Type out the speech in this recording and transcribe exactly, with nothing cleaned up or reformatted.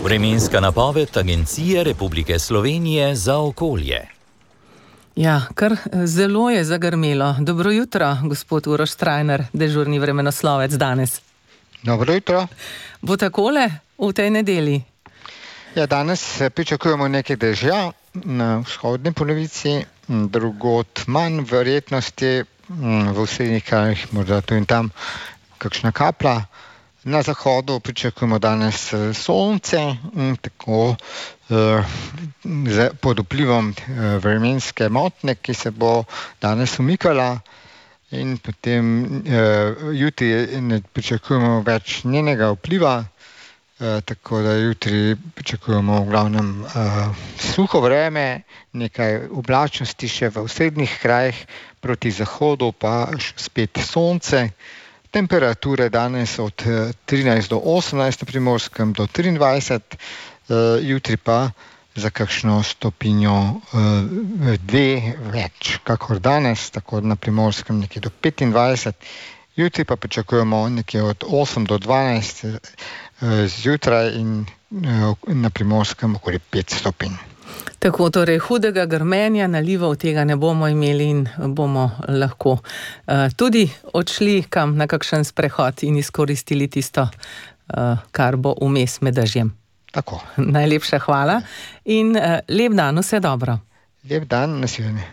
Vremenska napoved Agencije Republike Slovenije za okolje. Ja, kar zelo je zagrmelo. Dobro jutro, gospod Uroš Strajnar, dežurni vremenoslovec danes. Dobro jutro. Bo takole v tej nedelji? Ja, danes pričakujemo nekaj dežja na vzhodni polovici, drugod manj verjetnosti, v osrednjih krajih morda tu in tam kakšna kapla. Na zahodu pričakujemo danes sonce, tako eh, pod vplivom eh, vremenske motnje, ki se bo danes umikala, in potem eh, jutri ne pričakujemo več njenega vpliva, eh, tako da jutri pričakujemo v glavnem eh, suho vreme, nekaj oblačnosti še v osrednjih krajih, proti zahodu pa spet sonce. Temperature danes od trinajst do osemnajst na Primorskem do triindvajset, jutri pa za kakšno stopinjo dve več, kakor danes, tako na Primorskem nekje do petindvajset, jutri pa pričakujemo nekje od osem do dvanajst zjutraj in na Primorskem okoli pet stopinj. Tako, torej hudega grmenja, nalivov tega ne bomo imeli in bomo lahko uh, tudi odšli kam na kakšen sprehod in izkoristili tisto, uh, kar bo vmes med dežjem. Tako. Najlepša hvala in uh, lep dan, vse dobro. Lep dan, nasvidenje.